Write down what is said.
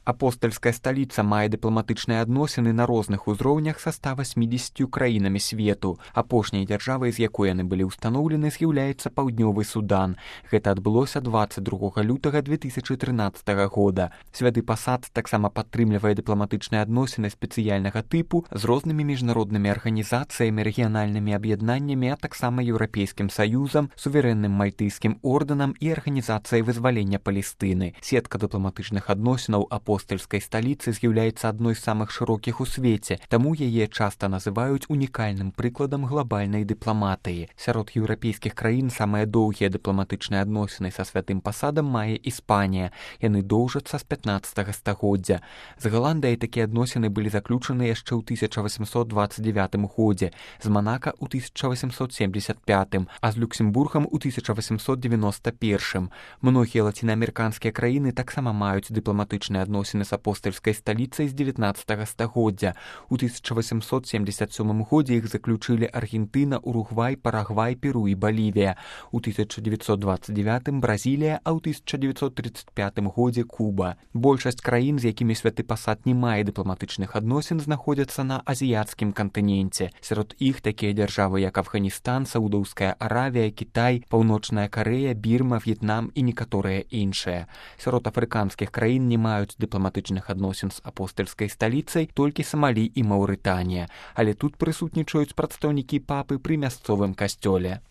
Апостальская сталіца мае дыпламатычныя адносіны на розных узроўнях са 180 краінамі свету. Апошняй дзяржавай, з якой яны былі ўстаноўлены, з'яўляецца Паўднёвы Судан. Гэта адбылося 22 лютага 2013 года. Святы пасад таксама падтрымлівае дыпламатычныя адносіны спецыяльнага тыпу з рознымі міжнароднымі арганізацыямі, рэгіянальнымі аб'яднаннямі, а таксама Еўрапейскім саюзам, суверэнным мальтыйскім ордэнам і арганізацыяй вызвалення Палестыны. Сетка дыпламатычных адносінаў апостальскай сталіцы з'яўляецца адной з самых шырокіх у свеце, таму яе часта называюць унікальным прыкладам глобальнай дыпламатыі. Сярод еўрапейскіх краін самыя доўгія дыпламатычныя адносіны са святым пасадам мае Іспанія. Яны доўжацца з 15 стагоддзя. З Галандыяй такія адносіны былі заключаны яшчэ ў 1829 годзе, з Манака ў 1875, а з Люксембургам у 1891. Многія лацінаамерыканскія краіны таксама маюць дыпламатычныя адносіны з апостальскай сталіцай з 19 стагоддзя. У 1877 годзе іх заключылі Аргентына, Уругвай, Парагвай, Перу і Балівія. У 1929 Бразілія, а ў 1935 годзе Куба. Большасць краін, з якімі святы пасад не мае дыпламатычных адносін, знаходзяцца на азіяцкім кантыненце. Сярод іх такія дзяржавы, як Афганістан, Саудаўская Аравія, Кітай, Паўночная Карэя, Бірма, В'етнам і некаторыя іншыя. Сярод афрыканскіх краін не маюць дыпламатычных адносін з апостальскай сталіцай толькі Самалі і Маўрытанія, але тут прысутнічаюць прадстаўнікі папы пры мясцовым касцёле.